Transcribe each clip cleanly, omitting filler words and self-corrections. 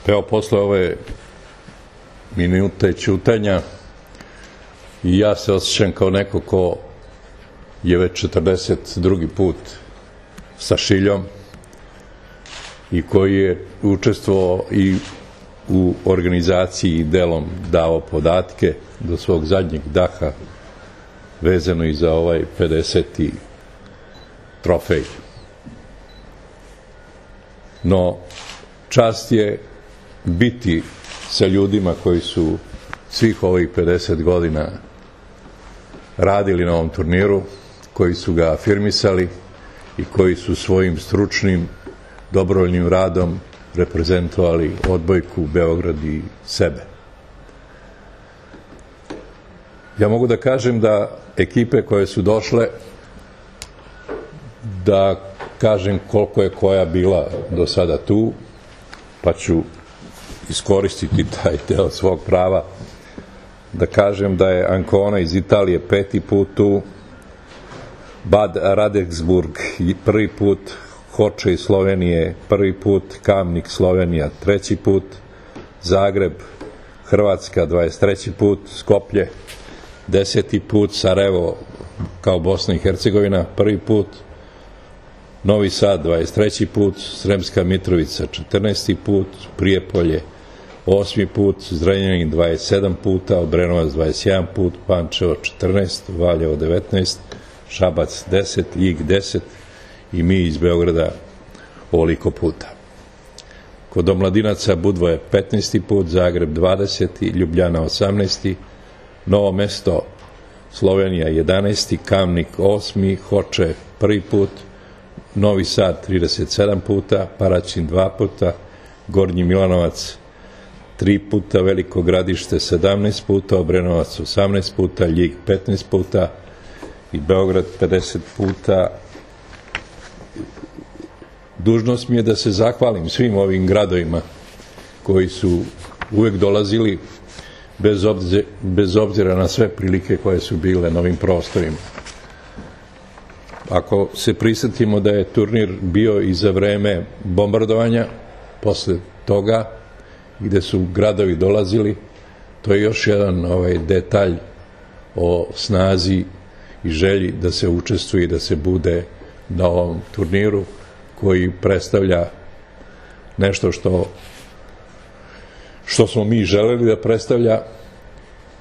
Evo, posle ove minute ćutanja i ja se osjećam kao neko ko je već 42. put sa Šiljom i koji je učestvovao i u organizaciji i delom dao podatke do svog zadnjeg daha vezano i za ovaj 50. trofej. No, čast je biti sa ljudima koji su svih ovih 50 godina radili na ovom turniru, koji su ga afirmisali i koji su svojim stručnim, dobrovoljnim radom reprezentovali odbojku, Beograd i sebe. Ja mogu da kažem da ekipe koje su došle, da kažem koliko je koja bila do sada tu, pa ću iskoristiti taj deo svog prava, da kažem da je Ancona iz Italije 5. put tu, Bad Radexburg prvi put, Hoče iz Slovenije 1. put, Kamnik Slovenija 3. put, Zagreb Hrvatska 23. put, Skoplje 10. put, Sarajevo kao Bosna i Hercegovina 1. put, Novi Sad 23. put, Sremska Mitrovica 14. put, Prijepolje 8. put, Zrenjanin 27 puta, Obrenovac 21 put, Pančevo 14, Valjevo 19, Šabac 10, Ljig 10 i mi iz Beograda ovoliko puta. Kod omladinaca Budva je 15. put, Zagreb 20, Ljubljana 18, Novo Mesto Slovenija 11, Kamnik 8, Hoče 1. put, Novi Sad 37 puta, Paraćin 2 puta, Gornji Milanovac 3 puta, Veliko Gradište 17 puta, Obrenovac 18 puta, Ljig 15 puta i Beograd 50 puta. Dužnost mi je da se zahvalim svim ovim gradovima koji su uvek dolazili bez obzira na sve prilike koje su bile na ovim prostorima. Ako se prisetimo da je turnir bio i za vreme bombardovanja, posle toga, gde su gradovi dolazili, to je još jedan detalj o snazi i želji da se učestvuje i da se bude na ovom turniru koji predstavlja nešto što smo mi želeli da predstavlja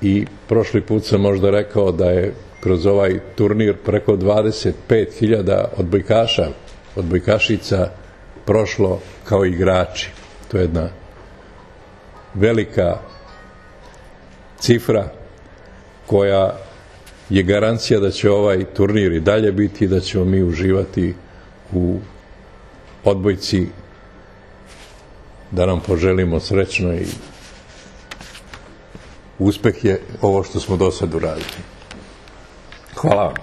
i prošli put sam možda rekao da je kroz ovaj turnir preko 25.000 odbojkaša, odbojkašica prošlo kao igrači. To je jedna velika cifra koja je garancija da će ovaj turnir i dalje biti i da ćemo mi uživati u odbojci, da nam poželimo srećno i uspeh je ovo što smo do sad uradili. Hvala vam.